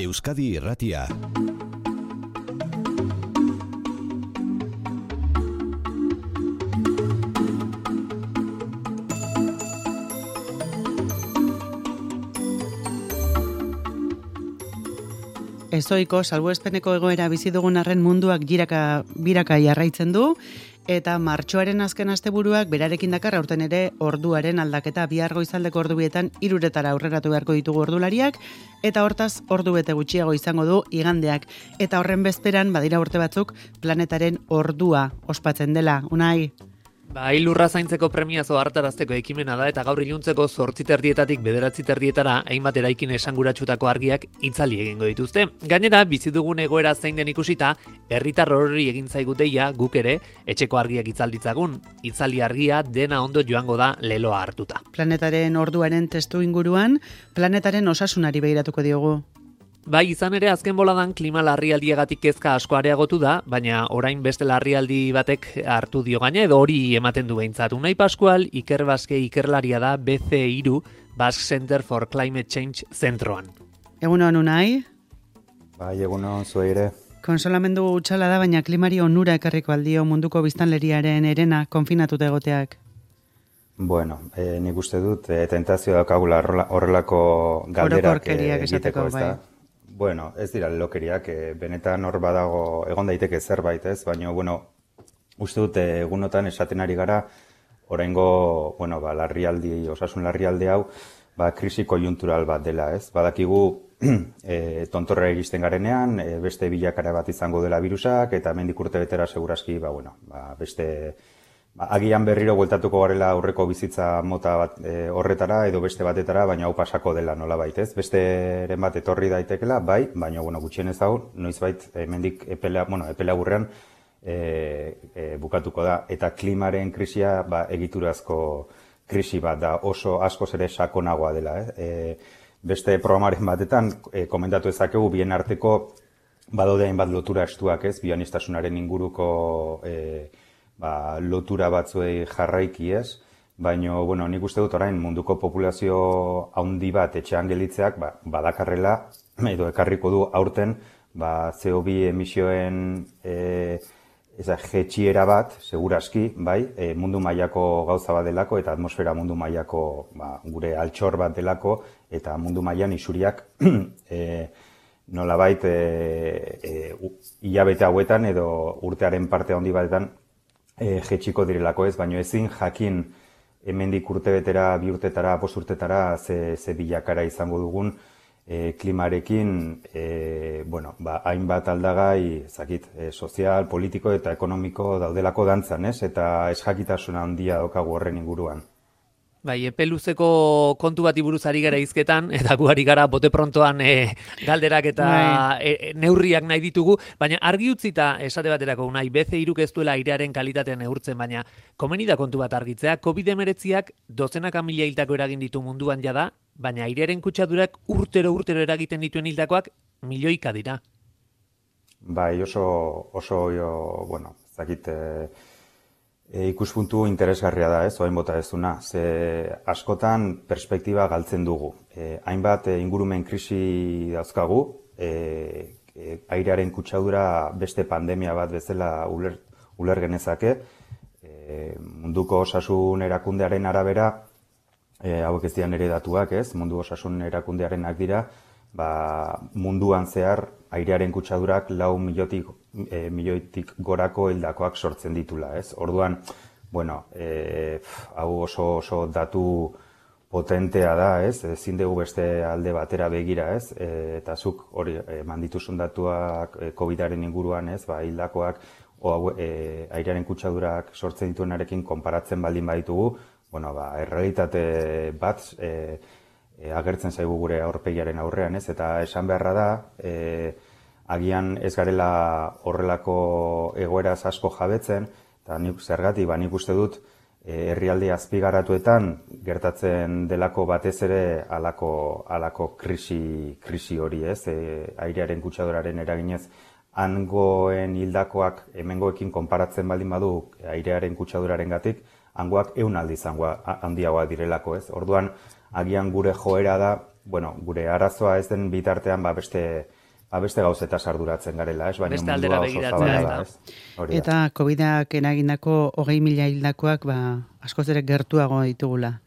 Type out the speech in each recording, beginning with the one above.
Euskadi Irratia. Ezoiko salbuespeneko egoera bizi dugun arren munduak biraka jarraitzen du, eta martxoaren azken asteburuak berarekin dakar aurten ere orduaren aldaketa. Bihar goizaldeko ordubietan 3:00 aurreratu beharko ditugu ordulariak, eta hortaz ordu bete gutxiago izango du igandeak. Eta horren bezperan badira urte batzuk planetaren ordua ospatzen dela. Unai? Lurra zaintzeko premiazo hartarazteko ekimena da eta gaur iluntzeko 8:30 9:30 hainbat eraikin esanguratxutako argiak itzali egingo dituzte. Gainera, bizi dugun egoera zein den ikusita, herritar horri egin zaigu deia guk ere etxeko argiak itzalditzagun. Itzali argia dena ondo joango da leloa hartuta. Planetaren orduaren testu inguruan, planetaren osasunari begiratuko diogu. Izan ere azken boladan klima larrialdiagatik kezka asko areagotu da, baina orain beste larrialdi batek hartu dio gaina edo hori ematen du behintzat. Unai Pascual Iker Baske ikerlaria da BC3 Basque Center for Climate Change zentroan. Egunon, Unai? Egunon, zuei ere. Konsolamendu utxala da, baina klimari onura ekarriko aldio munduko biztanleriaren herena konfinatuta egoteak. Bueno, nik uste dut tentazio daukagula horrelako galderak egiteko, ez da? Bueno, ez dira lokeriak, benetan hor badago egon daiteke zerbait, ez? Baina, uste dut egunotan esaten ari gara, oraingo, osasun larrialdi hau, krisi koiuntural bat dela, ez? Badakigu tontorra iristen garenean, beste bilakara bat izango dela virusak, eta hemendik urte betera seguraski, beste agian berriro bueltatuko garela aurreko bizitza mota bat horretara edo beste batetara, baina hau pasako dela nolabait, ez? Besteren bat etorri daitekela, baina gutxienez hau, noizbait hemendik epela burrean bukatuko da. Eta klimaren krisia egiturazko krisi bat da, oso askoz ere sakonagoa dela. Beste programaren batetan komentatu ezakegu bien arteko badaude hainbat lotura estuak, ez? Bioanistasunaren inguruko lotura batzuei jarraiki, ez? Baina, nik uste dut orain munduko populazio handi bat etxean gelitzeak badakarrela edo ekarriko du aurten CO2 emisioen jetxiera bat, seguraski, mundu mailako gauza bat delako eta atmosfera mundu mailako gure altxor bat delako eta mundu mailan isuriak nolabait hilabete hauetan edo urtearen parte handi batetan jetxiko direlako, ez, baina ezin jakin hemendik urtebetera, 2 urtetara, 5 urtetara ze bilakara izango dugun klimarekin, hainbat aldagai, sozial, politiko eta ekonomiko daudelako dantzan, ez, eta ez jakitasuna handia daukagu horren inguruan. Epe luzeko kontu bati buruz ari gara hizketan, eta gu ari gara bote prontoan galderak eta neurriak nahi ditugu, baina argi utzita esate baterako Unai, BC3 ez duela airearen kalitatea neurtzen, baina komeni da kontu bat argitzea, COVID-19ak dozenaka mila hiltako eragin ditu munduan jada, baina airearen kutsadurak urtero eragiten dituen hiltakoak milioika dira. Ikuspuntu interesgarria da, ez, orain bota dezuna. Ze askotan perspektiba galtzen dugu. Hainbat ingurumen krisi dauzkagu, airearen kutsadura beste pandemia bat bezala uler genezake. Munduko osasun erakundearen arabera, hauek ez dian ere datuak, ez, mundu osasun erakundearenak dira, munduan zehar airearen kutsadurak 4 milioitik gorako hildakoak sortzen ditula, ez? Orduan, hau oso datu potentea da, ez? Ezin dugu beste alde batera begira, ez? Eta zuk hori eman dituzun datuak COVID-aren inguruan, ez? Hildakoak airearen kutsadurak sortzen dituenarekin konparatzen baldin baditugu, errealitate bat agertzen zaigu gure aurpegiaren aurrean, ez? Eta esan beharra da, agian ez garela horrelako egoeraz asko jabetzen, eta nik uste dut herrialde azpigaratuetan gertatzen delako batez ere halako krisi hori, ez? Airearen kutsaduraren eraginez hangoen hildakoak hemengoekin konparatzen baldin badu airearen kutsadurarengatik, hangoak 100 aldiz handiagoak direlako, ez? Orduan, agian gure joera da bueno, gure arazoa ez den bitartean, beste gauzetaz arduratzen garela, ez? Baina beste aldera begiratzea, da, ez? Eta COVID-ak eragindako 20.000 hildakoak askoz ere gertuago ditugula.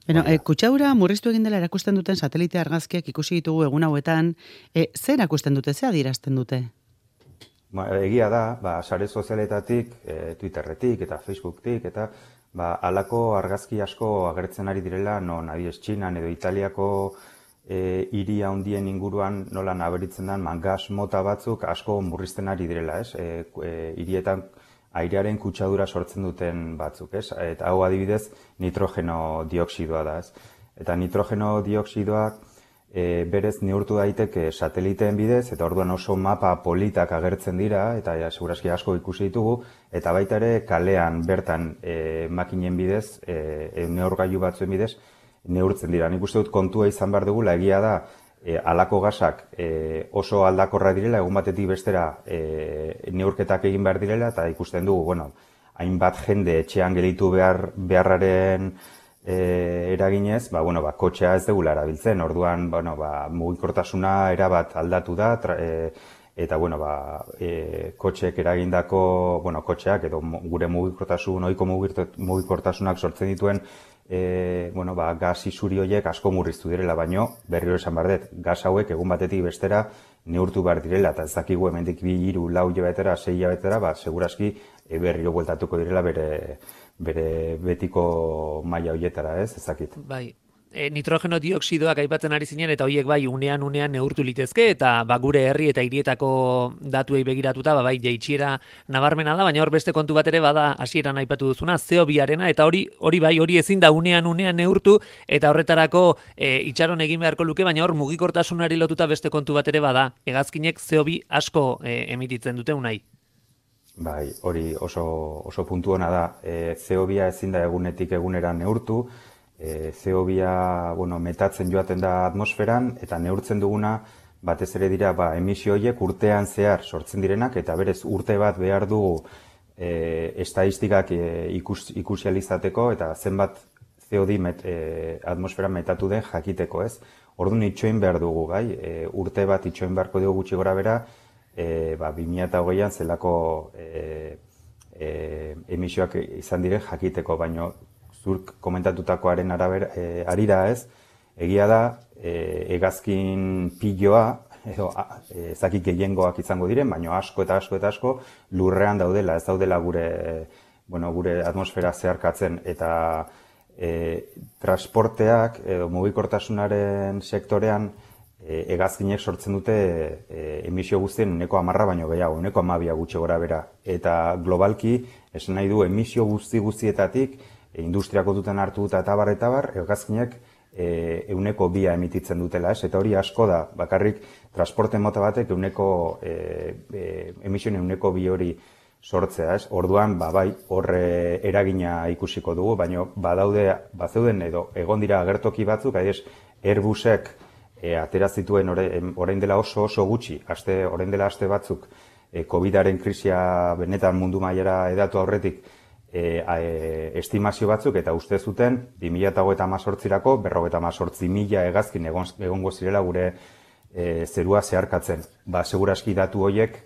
Beno, kutsadura murriztu egin dela erakusten duten satelite argazkiak ikusi ditugu egun hauetan, zer erakusten dute, zer adierazten dute? Egia da, sare sozialetatik, Twitterretik eta Facebooktik, eta halako argazki asko agertzen ari direla, non adibidez Txinan edo Italiako hiri handien inguruan nola nabaritzen den gas mota batzuk asko murrizten ari direla, ez? Hirietan airearen kutsadura sortzen duten batzuk, ez? Eta hau adibidez nitrogeno dioxidoa da, ez? Eta nitrogeno dioxidoak berez neurtu daiteke sateliteen bidez, eta orduan oso mapa politak agertzen dira, eta segurazki asko ikusi ditugu, eta baita ere kalean bertan makinen bidez, neurgailu batzuen bidez, neurtzen dira. Nik uste dut kontua izan behar dugula, egia da, halako gasak oso aldakorra direla, egun batetik bestera neurketak egin behar direla, eta ikusten dugu, hainbat jende etxean gelitu beharraren eraginez, kotxea ez dugula erabiltzen, orduan mugikortasuna erabat aldatu da, eta kotxeek eragindako, kotxeak edo gure ohiko mugikortasunak sortzen dituen gas isuri horiek asko murriztu direla, baino berriro esan behar dut, gas hauek egun batetik bestera neurtu behar direla, eta ez dakigu hemendik 2, 3, 4 hilabetera, 6 hilabetera, segurazki berriro bueltatuko direla bere betiko maila horietara, ez dakit. Bai. Nitrogeno dioxidoak aipatzen ari zinen, eta horiek bai unean neurtu litezke, eta gure herri eta hirietako datuei begiratuta, bai jaitsiera nabarmena da, baina hor beste kontu bat ere bada hasieran aipatu duzuna, CO2arena, eta hori ezin da unean neurtu, eta horretarako itxaron egin beharko luke, baina hor mugikortasunari lotuta beste kontu bat ere bada, hegazkinek CO2 asko emititzen dute unai. Bai, hori oso puntu hona da. CO2 ezin da egunetik egunera neurtu, CO2 metatzen joaten da atmosferan, eta neurtzen duguna batez ere dira emisio horiek urtean zehar sortzen direnak, eta berez urte bat behar dugu estadistikak ikusializateko, eta zenbat CO2 atmosferan metatu den jakiteko, ez? Orduan itxoin behar dugu, bai? Urte bat itxoin beharko dugu gutxi gora bera, 2020an zelako emisioak izan diren jakiteko, baino zurk komentatutakoaren arira ez, egia da, hegazkin piloa, edo ezakik gehiengoak izango diren, baino asko eta asko lurrean daudela, ez daudela gure atmosfera zeharkatzen, eta transporteak edo mugikortasunaren sektorean hegazkinek sortzen dute emisio guztien 10% baino gehiago, 12% gutxi gora bera. Eta globalki, esan nahi du, emisio guztietatik, industriako duten hartu eta bar, hegazkinek 2% emititzen dutela, ez? Eta hori asko da, bakarrik transporte mota batek emisioen 2% hori sortzea, ez? Orduan, bai, horre eragina ikusiko dugu, baina bazeuden edo egon dira agertoki batzuk, adibidez, Airbusek atera zituen orain dela oso gutxi, orain dela aste batzuk, COVID-aren krisia benetan mundu mailara edatu aurretik estimazio batzuk, eta uste zuten 2018-erako 58.000 hegazkin egongo zirela gure zerua zeharkatzen. Segurazki datu horiek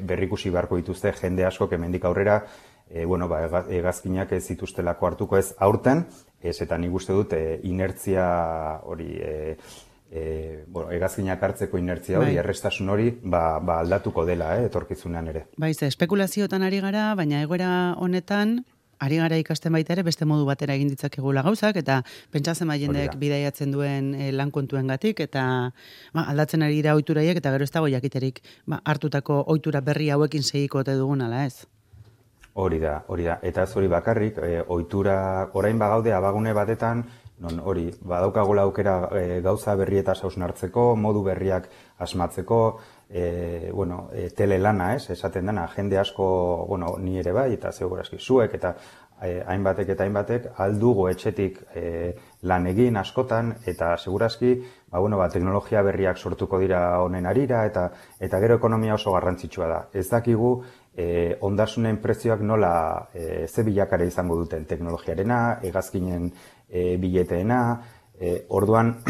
berrikusi beharko dituzte jende asko hemendik aurrera, hegazkinak ez zituztelako hartuko ez aurten, eta nik uste dut inertzia hori, hegazkinak hartzeko inertzia hori, errestasun hori, aldatuko dela, etorkizunean ere. Baiz, espekulazioetan ari gara, baina egoera honetan, ari gara ikasten baita ere beste modu batera egin ditzakegula gauzak, eta pentsatzen jendek bidaiatzen duen lan kontuengatik, eta aldatzen ari dira ohituraiek, eta gero ez dago jakiterik hartutako ohitura berri hauekin segiko ote dugun ala ez? Hori da. Eta ez hori bakarrik, ohitura orain bagaude abagune batetan, non hori, badaukagola aukera gauza berrietaz hausnartzeko, modu berriak asmatzeko, telelana, ez, esaten dena, jende asko, ni ere bai, eta segurazki zuek, eta hainbatek aldugu etxetik lan egin askotan, eta segurazki, teknologia berriak sortuko dira honen arira, eta gero ekonomia oso garrantzitsua da. Ez dakigu, ondasunen prezioak nola ze bilakare izango duten teknologiarena, hegazkinen bileteena, orduan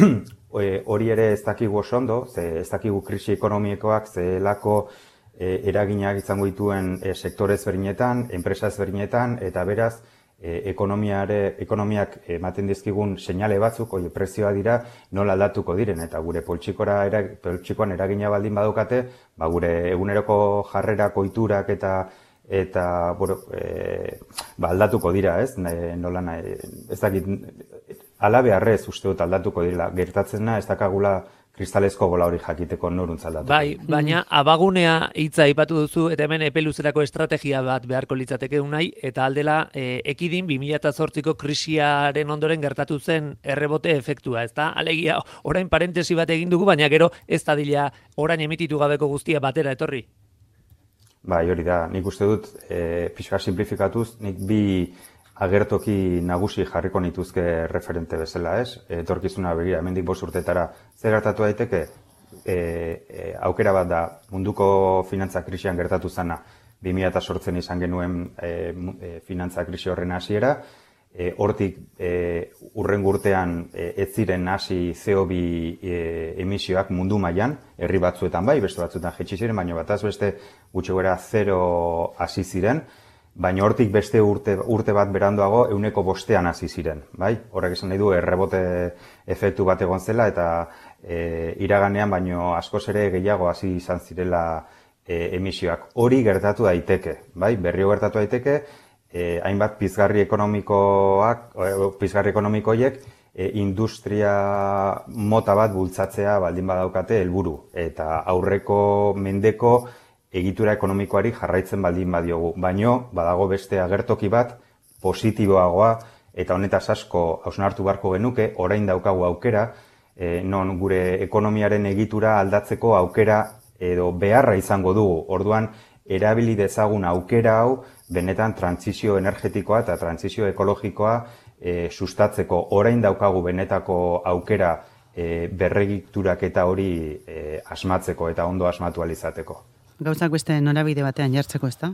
hori ere ez dakigu oso ondo, ez dakigu krisi ekonomikoak zelako eraginak izango dituen sektore ezberdinetan, enpresa ezberdinetan, eta beraz, ekonomiak ematen dizkigun seinale batzuk, prezioa dira, nola aldatuko diren, eta gure poltsikoan eragina baldin badukate, gure eguneroko jarrerak, ohiturak eta aldatuko dira, ez? Ez dakit, ala beharrez uste dut aldatuko dira, gertatzena ez dakagula kristalezko bola hori jakiteko noruntz aldatuko. Bai, baina abagunea hitza aipatu duzu, eta hemen epe luzerako estrategia bat beharko litzateke unai, eta aldela ekidin 2008ko krisiaren ondoren gertatu zen errebote efektua, ezta? Alegia, orain parentesi bat egin dugu, baina gero ez dadila orain emititu gabeko guztia batera etorri. Bai, hori da, nik uste dut, pixka simplifikatuz, nik bi agertoki nagusi jarriko nituzke referente bezala, ez? Etorkizuna begira, hemendik 5 urtetara zer gertatu daiteke? Aukera bat da, munduko finantza krisian gertatu zana, 2008 izan genuen finantza krisi horren hasiera, hortik hurrengo urtean ez ziren hasi CO2 emisioak mundu mailan, herri batzuetan bai, beste batzuetan jaitsi ziren, baina bataz beste gutxi gora 0 hasi ziren, baina hortik beste urte bat beranduago 105 hasi ziren, bai? Horrek esan nahi du errebote efektu bat egon zela eta iraganean baino askoz ere gehiago hasi izan zirela emisioak. Hori gertatu daiteke, bai? Berriro gertatu daiteke, hainbat pizgarri ekonomikoiek industria mota bat bultzatzea baldin badaukate helburu eta aurreko mendeko egitura ekonomikoari jarraitzen baldin badiogu. Baino, badago beste agertoki bat, positiboagoa, eta honetaz asko hausnartu beharko genuke, orain daukagu aukera, non gure ekonomiaren egitura aldatzeko aukera edo beharra izango dugu. Orduan, erabili dezagun aukera hau, benetan trantsizio energetikoa eta trantsizio ekologikoa sustatzeko. Orain daukagu benetako aukera berregiturak eta hori asmatzeko eta ondo asmatu ahal izateko. Gauzak beste norabide batean jartzeko, ezta?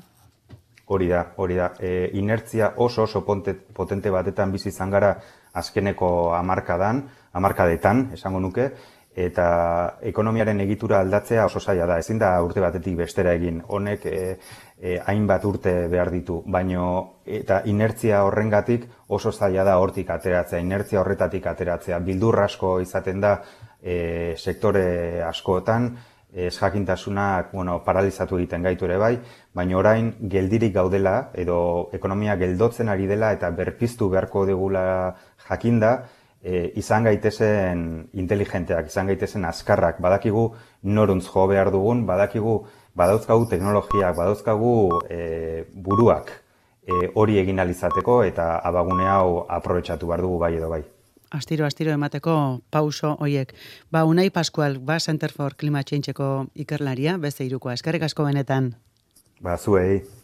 Hori da. Inertzia oso potente batetan bizi izan gara azkeneko hamarkadetan, esango nuke, eta ekonomiaren egitura aldatzea oso zaila da. Ezin da urte batetik bestera egin. Honek hainbat urte behar ditu, baino eta inertzia horrengatik oso zaila da hortik ateratzea, inertzia horretatik ateratzea. Bildur asko izaten da sektore askotan, ezjakintasunak paralizatu egiten gaitu ere bai, baina orain geldirik gaudela edo ekonomia geldotzen ari dela eta berpiztu beharko dugula jakinda, izan gaitezen inteligenteak, izan gaitezen azkarrak, badakigu noruntz jo behar dugun, badauzkagu teknologiak, badauzkagu buruak hori egin ahal izateko eta abagune hau aprobetxatu behar dugu bai edo bai. Astiro emateko pauso hoiek. Unai Pascual, Center for Climate Changeko ikerlaria, beste hirukoa. Eskerrik asko benetan. Zuei.